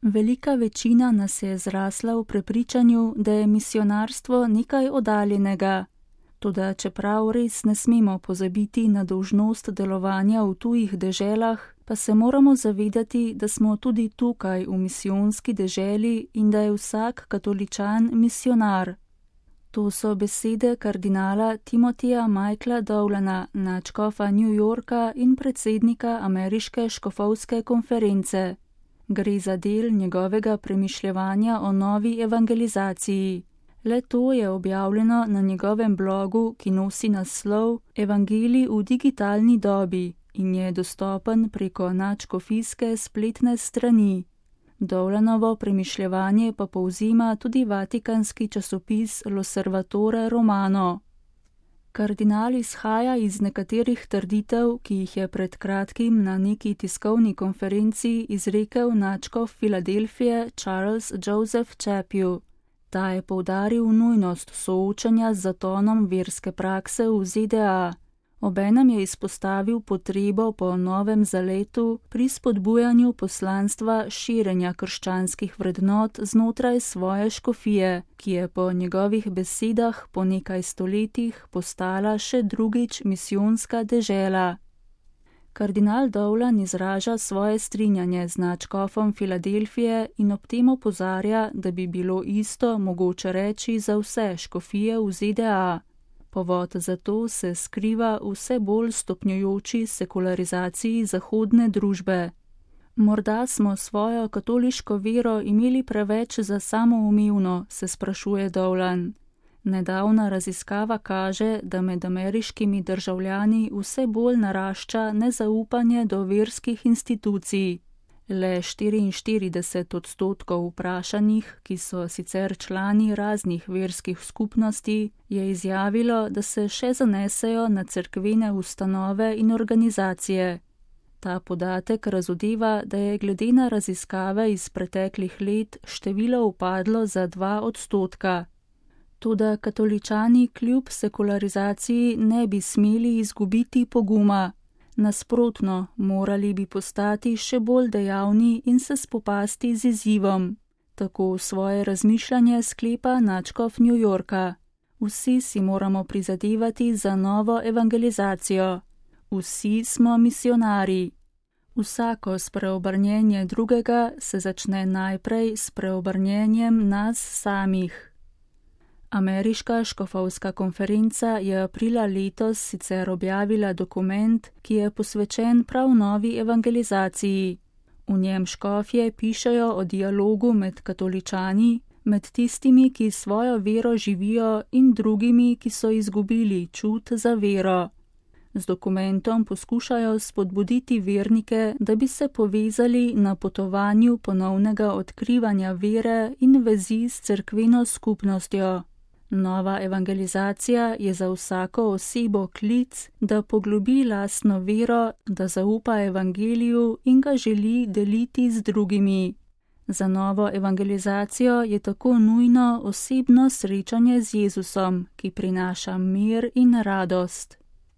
Velika večina nas je zrasla v prepričanju, da je misionarstvo nekaj oddaljenega. Toda čeprav res ne smemo pozabiti na dolžnost delovanja v tujih deželah, pa se moramo zavedati, da smo tudi tukaj v misijonski deželi in da je vsak katoličan misionar. To so besede kardinala Timothyja Michaela Dowlana, nadškofa New Yorka in predsednika Ameriške škofovske konference. Gre za del njegovega premišljevanja o novi evangelizaciji. Le to je objavljeno na njegovem blogu, ki nosi naslov Evangelij v digitalni dobi in je dostopen preko nadškofijske spletne strani. Dowlanovo premišljevanje pa povzima tudi vatikanski časopis L'Osservatore Romano. Kardinal izhaja iz nekaterih trditev, ki jih je pred kratkim na neki tiskovni konferenci izrekel nadškof Filadelfije Charles Joseph Chaput. Ta je poudaril nujnost soočanja z zatonom verske prakse v ZDA. Obenem je izpostavil potrebo po novem zaletu pri spodbujanju poslanstva širjenja krščanskih vrednot znotraj svoje škofije, ki je po njegovih besedah po nekaj stoletjih postala še drugič misijonska dežela. Kardinal Dowlan izraža svoje strinjanje z nadškofom Filadelfije in ob tem opozarja, da bi bilo isto mogoče reči za vse škofije v ZDA. Povod za to se skriva v vse bolj stopnjujoči sekularizaciji zahodne družbe. Morda smo svojo katoliško vero imeli preveč za samoumevno, se sprašuje Dowlan. Nedavna raziskava kaže, da med ameriškimi državljani vse bolj narašča nezaupanje do verskih institucij. Le 44% vprašanih, ki so sicer člani raznih verskih skupnosti, je izjavilo, da se še zanesejo na cerkvene ustanove in organizacije. Ta podatek razodeva, da je glede na raziskave iz preteklih let število upadlo za 2%. Toda katoličani kljub sekularizaciji ne bi smeli izgubiti poguma. Nasprotno, morali bi postati še bolj dejavni in se spopasti z izzivom. Tako svoje razmišljanje sklepa nadškof New Yorka. Vsi si moramo prizadevati za novo evangelizacijo. Vsi smo misionarji. Vsako spreobrnjenje drugega se začne najprej s preobrnjenjem nas samih. Ameriška škofovska konferenca je aprila letos sicer objavila dokument, ki je posvečen prav novi evangelizaciji. V njem škofje pišejo o dialogu med katoličani, med tistimi, ki svojo vero živijo in drugimi, ki so izgubili čut za vero. Z dokumentom poskušajo spodbuditi vernike, da bi se povezali na potovanju ponovnega odkrivanja vere in vezi s cerkveno skupnostjo. Nova evangelizacija je za vsako osebo klic, da poglobi lastno vero, da zaupa evangeliju in ga želi deliti z drugimi. Za novo evangelizacijo je tako nujno osebno srečanje z Jezusom, ki prinaša mir in radost.